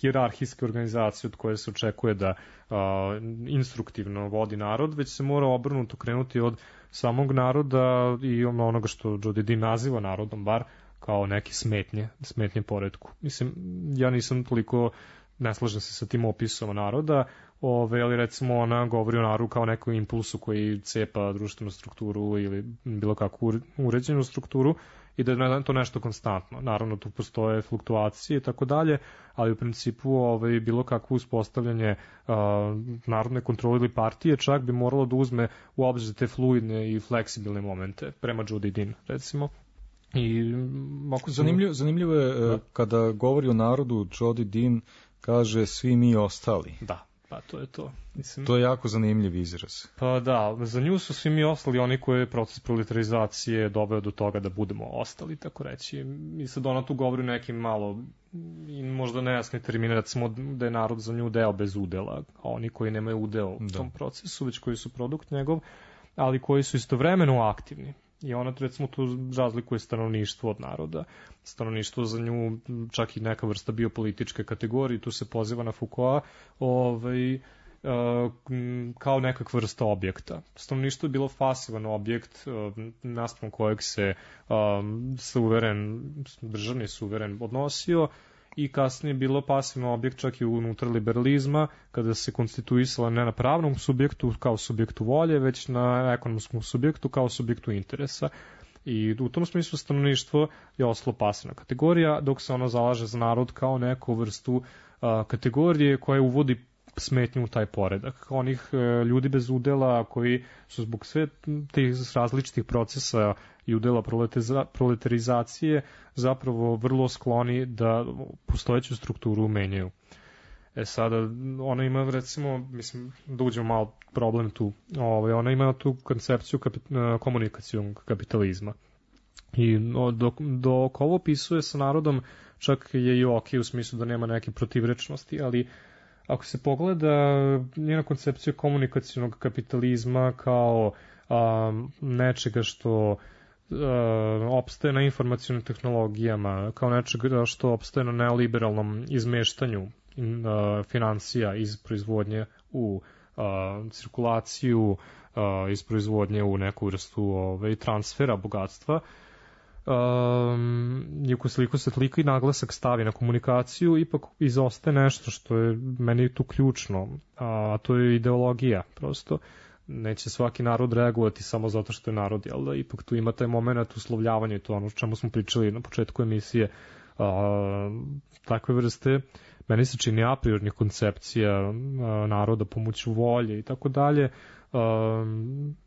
E: hijerarhijske organizacije od koje se očekuje da a, instruktivno vodi narod, već se mora obrnuto krenuti od samog naroda i onoga što Judy Dean naziva narodom, bar kao neke smetnje, smetnje poretku. Mislim, ja nisam toliko, ne slažem se sa tim opisom naroda, ove, ali recimo ona govori o narodu kao nekom impulsu koji cepa društvenu strukturu ili bilo kakvu uređenu strukturu i da je to nešto konstantno. Naravno, tu postoje fluktuacije i tako dalje, ali u principu ovaj, bilo kakvo uspostavljanje uh, narodne kontrole ili partije čak bi moralo da uzme u obzir te fluidne i fleksibilne momente, prema Judy Dean, recimo. I,
D: ako zanimljivo, zanimljivo je da. Kada govori o narodu, Judy Dean kaže svi mi ostali.
E: Da. Pa to je to. Mislim,
D: to je jako zanimljiv izraz.
E: Pa da, za nju su svi mi ostali oni koji je proces proletarizacije doveo do toga da budemo ostali, tako reći. I sad ona tu govori nekim malo i možda nejasni termine, recimo da je narod za nju deo bez udela, a oni koji nemaju udeo u da. tom procesu, već koji su produkt njegov, ali koji su istovremeno aktivni. I ona, recimo, tu razlikuje stanovništvo od naroda. Stanovništvo za nju čak i neka vrsta biopolitičke kategorije, tu se poziva na Foucaulta, ovaj, kao nekakva vrsta objekta. Stanovništvo je bilo pasivan objekt naspram kojeg se suveren, državni suveren odnosio i kasnije je bilo pasivno objekt čak i unutar liberalizma, kada se konstituisala ne na pravnom subjektu kao subjektu volje, već na ekonomskom subjektu kao subjektu interesa. I u tom smislu stanovništvo je ostalo pasivna kategorija, dok se ono zalaže za narod kao neku vrstu a, kategorije koja uvodi smetnju u taj poredak. Onih e, ljudi bez udela koji su zbog sve tih različitih procesa i udela proletarizacije zapravo vrlo skloni da postojeću strukturu menjaju. E sada, ona ima recimo, mislim, da uđemo malo problem tu, ovaj, ona ima tu koncepciju kapit, komunikacijnog kapitalizma. I dok, dok ovo opisuje sa narodom, čak je i ok u smislu da nema neke protivrečnosti, ali ako se pogleda njena koncepcija komunikacijnog kapitalizma kao um, nečega što opstaje na informacionim tehnologijama, kao nečega što opstaje na neoliberalnom izmeštanju financija iz proizvodnje u cirkulaciju, iz proizvodnje u neku vrstu ove, transfera bogatstva. Um, i ukoliko se toliko i naglasak stavi na komunikaciju, ipak izostaje nešto što je meni tu ključno, a to je ideologija. Prosto neće svaki narod reagovati samo zato što je narod, jel da? Ipak tu ima taj moment uslovljavanja i to ono o čemu smo pričali na početku emisije. A, takve vrste meni se čini a priornih koncepcija a, naroda pomoću volje i tako dalje.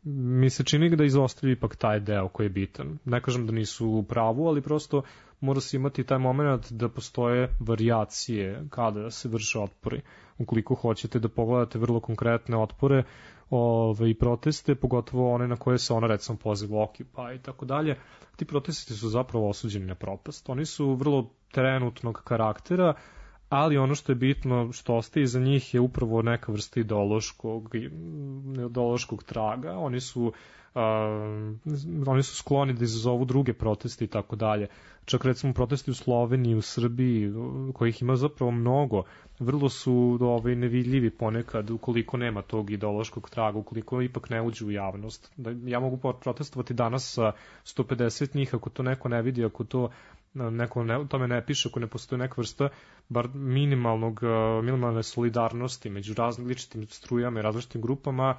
E: Mi se čini da izostavlja ipak taj deo koji je bitan. Ne kažem da nisu u pravu, ali prosto mora se imati taj moment da postoje varijacije kada se vrše otpori. Ukoliko hoćete da pogledate vrlo konkretne otpore ove, i proteste, pogotovo one na koje se ona recimo poziva Occupy i tako dalje, ti protesti su zapravo osuđeni na propast. Oni su vrlo trenutnog karaktera, ali ono što je bitno, što ostaje iza njih je upravo neka vrsta ideološkog, ideološkog traga. Oni su, uh, oni su skloni da izazovu druge proteste i tako dalje. Čak recimo protesti u Sloveniji, u Srbiji, kojih ima zapravo mnogo, vrlo su ovaj, nevidljivi ponekad ukoliko nema tog ideološkog traga, ukoliko ipak ne uđe u javnost. Da, ja mogu protestovati danas sa sto pedeset njih, ako to neko ne vidi, ako to neko ne, tome ne piše, ako ne postoji neka vrsta bar minimalnog, minimalne solidarnosti među različitim strujama i različitim grupama,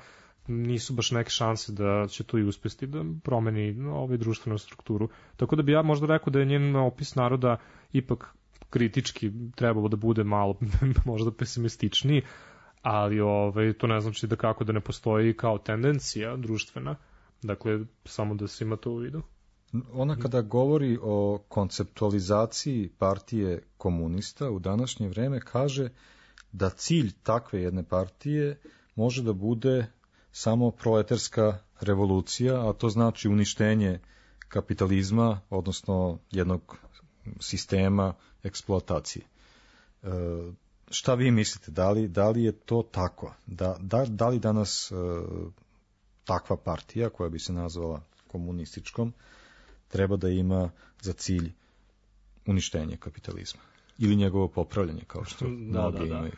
E: nisu baš neke šanse da će to i uspesti da promeni ovaj društvenu strukturu. Tako da bi ja možda rekao da je njen opis naroda ipak kritički trebalo da bude malo možda pesimističniji, ali ovaj, to ne znači da kako da ne postoji kao tendencija društvena. Dakle, samo da se ima to u vidu.
D: Ona kada govori o konceptualizaciji partije komunista u današnje vreme kaže da cilj takve jedne partije može da bude samo proletarska revolucija, a to znači uništenje kapitalizma, odnosno jednog sistema eksploatacije. E, šta vi mislite, da li, da li je to tako? Da, da, da li danas e, takva partija, koja bi se nazvala komunističkom, treba da ima za cilj uništenje kapitalizma ili njegovo popravljanje, kao što da, mnogi da, da. imaju?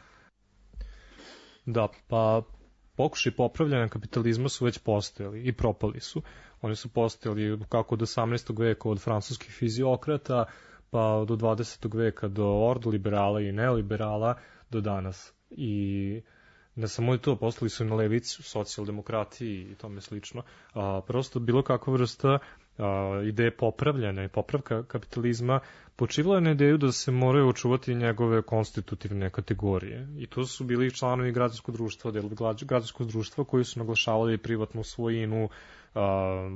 E: Da, pa pokušaj popravljanja kapitalizma su već postojali i propali su. Oni su postojali kako od osamnaestog veka od francuskih fiziokrata, pa do dvadesetog veka do ordoliberala i neoliberala do danas. I ne samo i to, postali su i na levici, u socijaldemokratiji i tome slično. A, prosto bilo kakva vrsta a, ideje popravljanja i popravka kapitalizma počivala je na ideju da se moraju očuvati njegove konstitutivne kategorije. I to su bili članovi građanskog društva, delovi građanskog društva koji su naglašavali privatnu svojinu,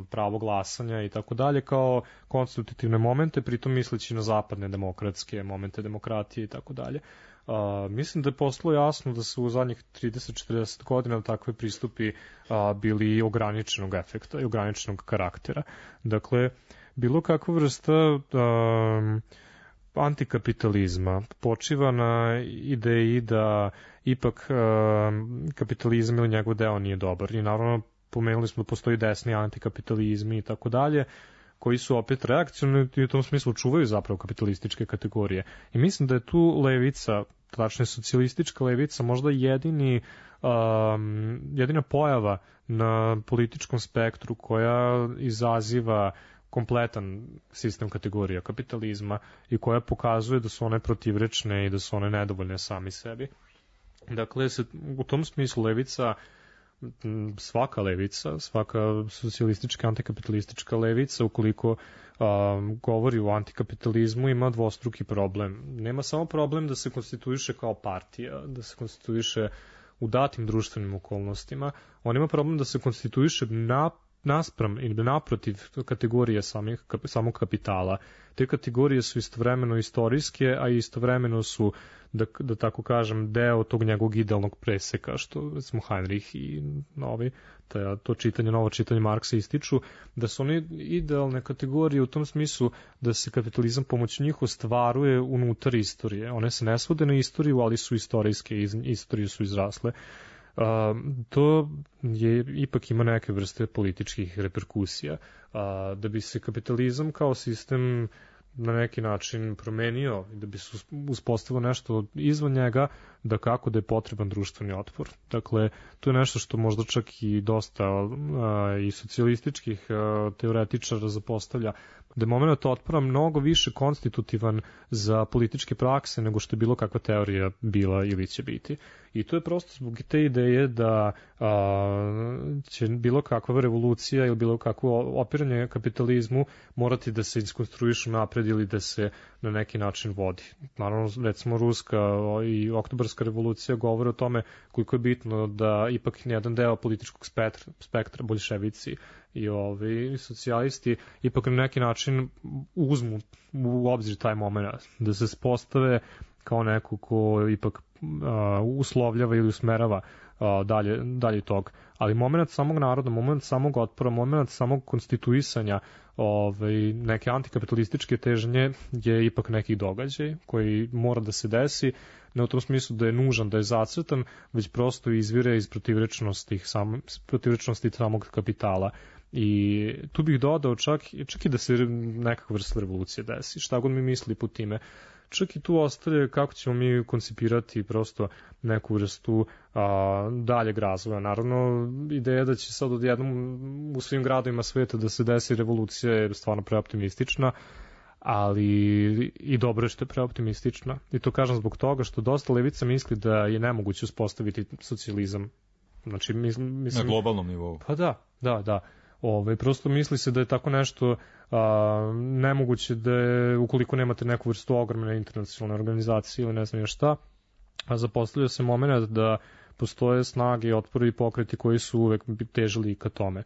E: pravo glasanja i tako dalje kao konstitutivne momente, pritom misleći na zapadne demokratske momente demokratije i tako dalje. Mislim da je postalo jasno da su u zadnjih trideset do četrdeset godina takve pristupi a, bili ograničenog efekta i ograničenog karaktera. Dakle, bilo kakva vrsta a, antikapitalizma počiva na ideji da ipak a, kapitalizam ili njegov deo nije dobar. I naravno pomenuli smo da postoji desni antikapitalizmi i tako dalje, koji su opet reakcioni i u tom smislu čuvaju zapravo kapitalističke kategorije. I mislim da je tu levica, tačnije socijalistička levica, možda jedini, um, jedina pojava na političkom spektru koja izaziva kompletan sistem kategorija kapitalizma i koja pokazuje da su one protivrečne i da su one nedovoljne sami sebi. Dakle, se, u tom smislu levica, svaka levica, svaka socijalistička, antikapitalistička levica, ukoliko um, govori o antikapitalizmu, ima dvostruki problem. Nema samo problem da se konstituiše kao partija, da se konstituiše u datim društvenim okolnostima, on ima problem da se konstituiše na, naspram ili naprotiv kategorije samih, samog kapitala. Te kategorije su istovremeno istorijske, a istovremeno su, da, da tako kažem, deo tog njegovog idealnog preseka, što smo Heinrich i novi, ta, to čitanje, novo čitanje Marksa ističu, da su oni idealne kategorije u tom smislu da se kapitalizam pomoću njih ostvaruje unutar istorije. One se ne svode na istoriju, ali su istorijske, iz istorije su izrasle. a, to je ipak ima neke vrste političkih reperkusija. A, da bi se kapitalizam kao sistem na neki način promenio i da bi se uspostavilo nešto izvan njega, da kako da je potreban društveni otpor. Dakle, to je nešto što možda čak i dosta a, i socijalističkih a, teoretičara zapostavlja, da je moment otpora mnogo više konstitutivan za političke prakse nego što je bilo kakva teorija bila ili će biti. I to je prosto zbog te ideje da a, će bilo kakva revolucija ili bilo kakvo opiranje kapitalizmu morati da se iskonstruišu napred ili da se na neki način vodi. Naravno, recimo Ruska i Oktobarska revolucija govore o tome koliko je bitno da ipak jedan deo političkog spektra, spektra boljševici i ovi socijalisti ipak na neki način uzmu u obzir taj moment, da se spostave kao neko ko ipak uh, uslovljava ili usmerava uh, dalje, dalje tog. Ali moment samog naroda, moment samog otpora, moment samog konstituisanja ovaj, neke antikapitalističke težnje je ipak neki događaj koji mora da se desi, ne u tom smislu da je nužan, da je zacrtan, već prosto izvire iz protivrečnosti, sam, protivrečnosti samog kapitala. I tu bih dodao čak, čak i da se nekakva vrsta revolucije desi, šta god mi misli po time. Čak i tu ostaje kako ćemo mi koncipirati prosto neku vrstu a, daljeg razvoja. Naravno, ideja da će sad odjednom u svim gradovima sveta da se desi revolucija je stvarno preoptimistična, ali i dobro je što je preoptimistična. I to kažem zbog toga što dosta levica misli da je nemoguće uspostaviti socijalizam. Znači, mislim,
D: na globalnom nivou.
E: Pa da, da, da. Ove, prosto misli se da je tako nešto a, nemoguće da je, ukoliko nemate neku vrstu ogromne internacionalne organizacije ili ne znam još šta, a zapostavlja se moment da postoje snage i otpori i pokreti koji su uvek težili ka tome.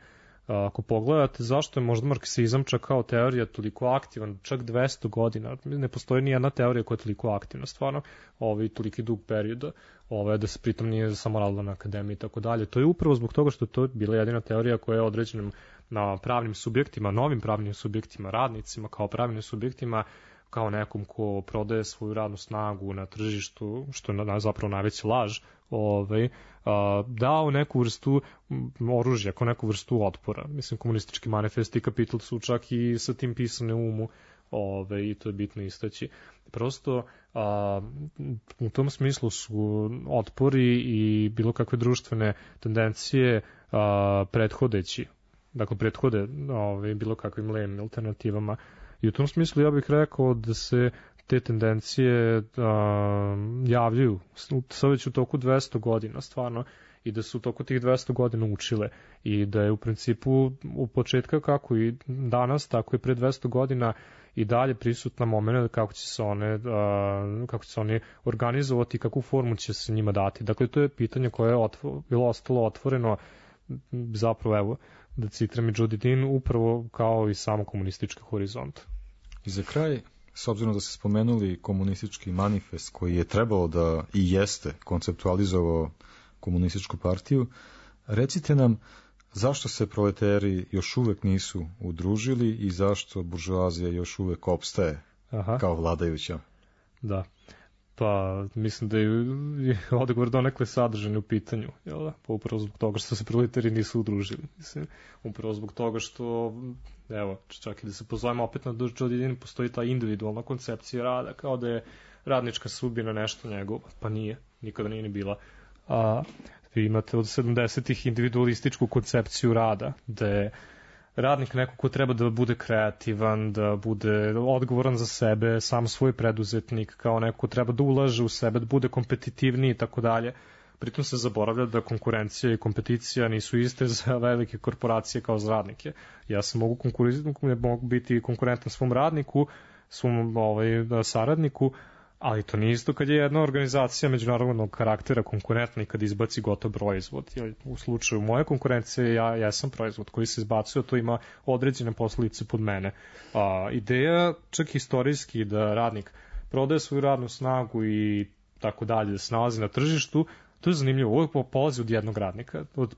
E: A, ako pogledate zašto je možda marksizam čak kao teorija toliko aktivan, čak dvesta godina, ne postoji ni jedna teorija koja je toliko aktivna, stvarno, ovaj toliki dug perioda, ovaj, da se pritom nije samo radila na akademiji i tako dalje. To je upravo zbog toga što je to bila jedina teorija koja je određena na pravnim subjektima, novim pravnim subjektima, radnicima kao pravnim subjektima, kao nekom ko prodaje svoju radnu snagu na tržištu, što je zapravo najveća laž, ovaj, a, dao neku vrstu oružja, kao neku vrstu otpora. Mislim, komunistički manifest i kapital su čak i sa tim pisane u umu, ovaj, i to je bitno istaći. Prosto, a, u tom smislu su otpori i bilo kakve društvene tendencije a, prethodeći, dakle, prethode ovaj, bilo kakvim levim alternativama. I u tom smislu ja bih rekao da se te tendencije a, javljaju sad već u toku dvesta godina stvarno i da su u toku tih dvesta godina učile i da je u principu u početka kako i danas, tako i pre dvesta godina i dalje prisutna moment kako će se one, a, kako će se oni organizovati i kakvu formu će se njima dati. Dakle, to je pitanje koje je otvo, bilo ostalo otvoreno zapravo, evo, da citiram i Judy Dean, upravo kao i samo komunistički horizont.
D: I za kraj, s obzirom da ste spomenuli komunistički manifest koji je trebalo da i jeste konceptualizovao komunističku partiju, recite nam zašto se proleteri još uvek nisu udružili i zašto buržoazija još uvek opstaje Aha. kao vladajuća?
E: Da. Pa, mislim da je odgovor donekle sadržan u pitanju, jel da? Pa upravo zbog toga što se proletari nisu udružili. Mislim, upravo zbog toga što, evo, čak i da se pozovemo opet na Judy Dean, postoji ta individualna koncepcija rada, kao da je radnička sudbina nešto njegovo, pa nije, nikada nije ni bila. A vi imate od sedamdesetih individualističku koncepciju rada, da je radnik neko ko treba da bude kreativan, da bude odgovoran za sebe, sam svoj preduzetnik, kao neko ko treba da ulaže u sebe, da bude kompetitivniji i tako dalje. Pritom se zaboravlja da konkurencija i kompeticija nisu iste za velike korporacije kao za radnike. Ja sam mogu, mogu biti konkurentan svom radniku, svom ovaj, saradniku, ali to nije isto kad je jedna organizacija međunarodnog karaktera konkurentna i kad izbaci gotov proizvod. U slučaju moje konkurencije ja, ja sam proizvod koji se izbacuje, to ima određene posljedice pod mene. A, ideja čak historijski da radnik prodaje svoju radnu snagu i tako dalje, da se nalazi na tržištu, To je zanimljivo, ovo polazi od jednog radnika, od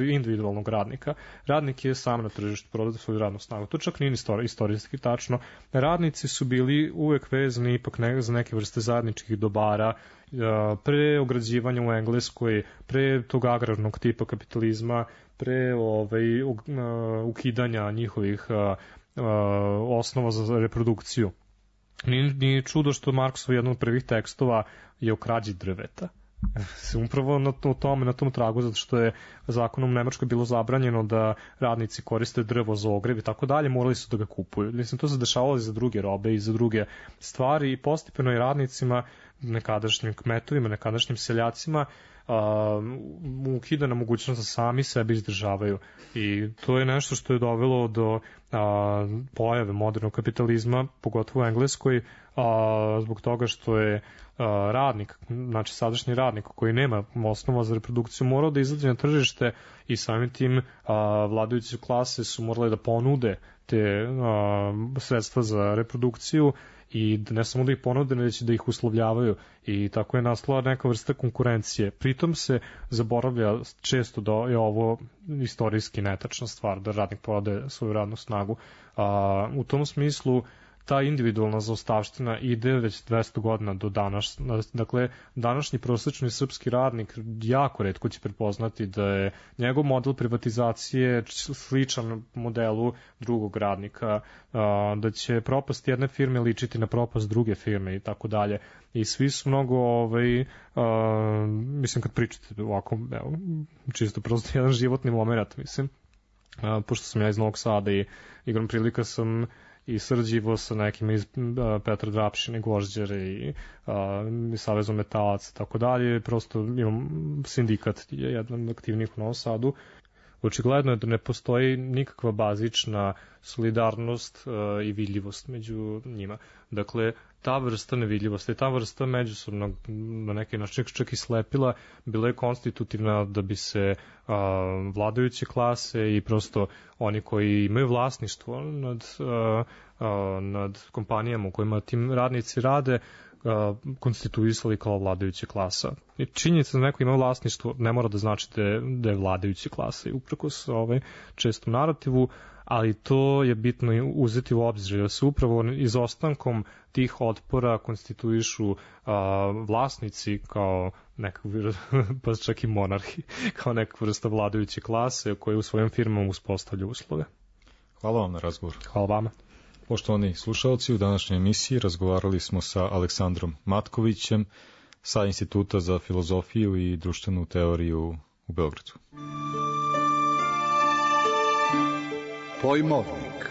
E: individualnog radnika. Radnik je sam na tržištu, prodaje svoju radnu snagu. To čak nije istorijski tačno. Radnici su bili uvek vezani ipak ne, za neke vrste zajedničkih dobara, pre ograđivanja u Engleskoj, pre tog agrarnog tipa kapitalizma, pre ovaj, ukidanja njihovih osnova za reprodukciju. Nije, nije čudo što Marksov jedan od prvih tekstova je o krađi drveta. Upravo na tom, na tom tragu, zato što je zakonom u Nemačkoj bilo zabranjeno da radnici koriste drvo za ogrev i tako dalje, morali su da ga kupuju. Mislim, to se dešavalo i za druge robe i za druge stvari i postepeno i radnicima, nekadašnjim kmetovima, nekadašnjim seljacima, uh, ukidana mogućnost da sami sebe izdržavaju. I to je nešto što je dovelo do uh, pojave modernog kapitalizma, pogotovo u Engleskoj, uh, zbog toga što je radnik, znači sadašnji radnik koji nema osnova za reprodukciju morao da izađe na tržište i samim tim a, vladajuće klase su morale da ponude te a, sredstva za reprodukciju i ne samo da ih ponude, već da ih uslovljavaju i tako je nastala neka vrsta konkurencije. Pritom se zaboravlja često da je ovo istorijski netačna stvar, da radnik prodaje svoju radnu snagu. A, u tom smislu ta individualna zaostavština ide već dvesta godina do danas. Dakle, današnji prosečni srpski radnik jako retko će prepoznati da je njegov model privatizacije sličan modelu drugog radnika, da će propast jedne firme ličiti na propast druge firme i tako dalje. I svi su mnogo, ovaj, mislim, kad pričate ovako, evo, čisto prosto jedan životni moment, mislim, pošto sam ja iz Novog Sada i igram prilika sam i srđivo sa nekim iz uh, Petra Drapšine, Gvožđere i uh, Savezom metalaca, tako dalje. Prosto imam sindikat, jedan od aktivnih u Novom Sadu. Očigledno je da ne postoji nikakva bazična solidarnost uh, i vidljivost među njima. Dakle, ta vrsta nevidljivosti, ta vrsta međusobnog, na neki način čak i slepila, bila je konstitutivna da bi se a, vladajuće klase i prosto oni koji imaju vlasništvo nad, a, a, nad kompanijama u kojima tim radnici rade, a, konstituisali kao vladajuće klasa. I činjenica da neko ima vlasništvo ne mora da znači da je, da je vladajuće klase, uprkos ovaj, čestom narativu, ali to je bitno uzeti u obzir, da se upravo izostankom tih otpora konstituišu a, vlasnici kao nekak, pa čak i monarhi, kao neka vrsta vladajuće klase koje u svojim firmama uspostavlja uslove.
D: Hvala vam na razgovor.
E: Hvala vama.
D: Poštovani slušalci, u današnjoj emisiji razgovarali smo sa Aleksandrom Matkovićem sa Instituta za filozofiju i društvenu teoriju u Beogradu.
B: Pojmovnik.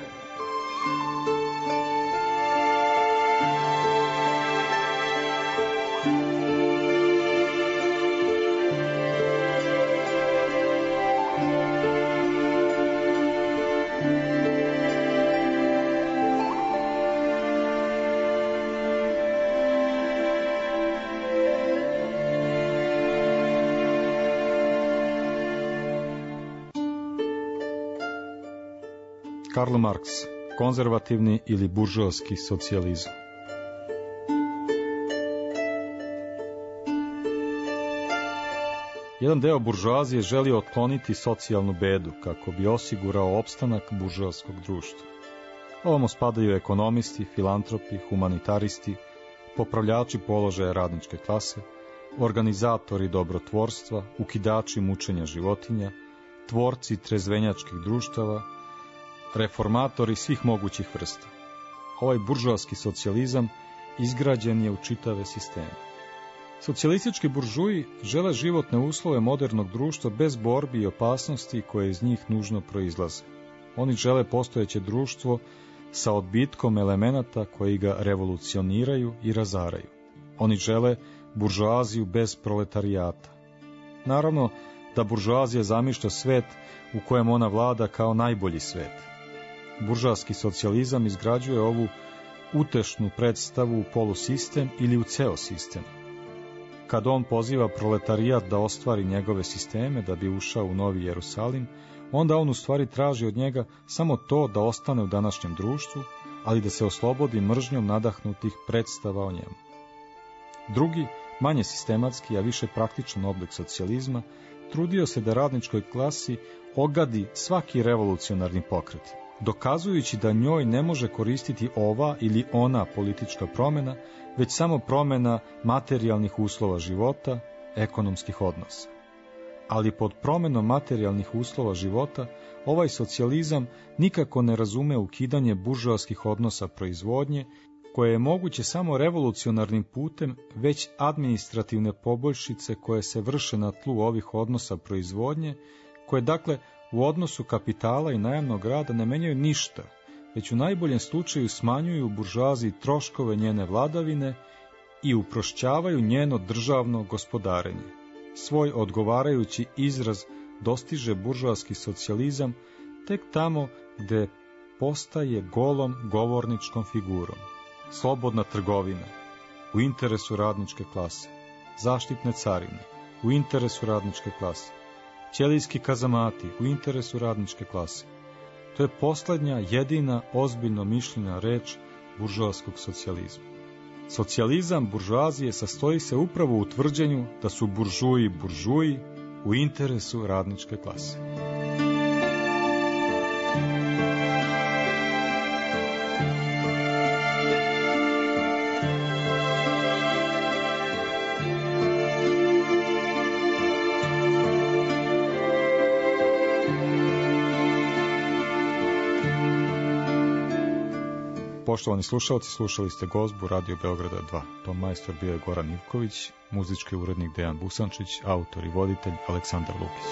D: Karl Marks, konzervativni ili buržoaski socijalizam. Jedan deo buržoazije želi otkloniti socijalnu bedu kako bi osigurao opstanak buržoaskog društva. Ovamo spadaju ekonomisti, filantropi, humanitaristi, popravljači položaja radničke klase, organizatori dobrotvorstva, ukidači mučenja životinja, tvorci trezvenjačkih društava, reformatori svih mogućih vrsta. Ovaj buržoaski socijalizam izgrađen je u čitave sisteme. Socijalistički buržuji žele životne uslove modernog društva bez borbi i opasnosti koje iz njih nužno proizlaze. Oni žele postojeće društvo sa odbitkom elemenata koji ga revolucioniraju i razaraju. Oni žele buržoaziju bez proletarijata. Naravno da buržoazija zamišlja svet u kojem ona vlada kao najbolji svet. Buržoaski socijalizam izgrađuje ovu utešnu predstavu u polusistem ili u ceo sistem. Kad on poziva proletarijat da ostvari njegove sisteme da bi ušao u Novi Jerusalim, onda on u stvari traži od njega samo to da ostane u današnjem društvu, ali da se oslobodi mržnjom nadahnutih predstava o njemu. Drugi, manje sistematski, a više praktičan oblik socijalizma, trudio se da radničkoj klasi ogadi svaki revolucionarni pokret, dokazujući da njoj ne može koristiti ova ili ona politička promjena, već samo promjena materijalnih uslova života, ekonomskih odnosa. Ali pod promjenom materijalnih uslova života, ovaj socijalizam nikako ne razume ukidanje buržoaskih odnosa proizvodnje, koje je moguće samo revolucionarnim putem, već administrativne poboljšice koje se vrše na tlu ovih odnosa proizvodnje, koje dakle u odnosu kapitala i najamnog rada ne menjaju ništa, već u najboljem slučaju smanjuju buržoaziji troškove njene vladavine i uprošćavaju njeno državno gospodarenje. Svoj odgovarajući izraz dostiže buržoaski socijalizam tek tamo gde postaje golom govorničkom figurom. Slobodna trgovina u interesu radničke klase, zaštitne carine u interesu radničke klase, ćelijski kazamati u interesu radničke klase. To je posljednja, jedina ozbiljno mišljena reč buržoaskog socijalizma. Socijalizam buržoazije sastoji se upravo u tvrđenju da su buržuji buržuji u interesu radničke klase. Poštovani slušalci, slušali ste Gozbu Radio Beograda dva. Ton majstor bio je Goran Ivković, muzički urednik Dejan Busančić, autor i voditelj Aleksandar Lukić.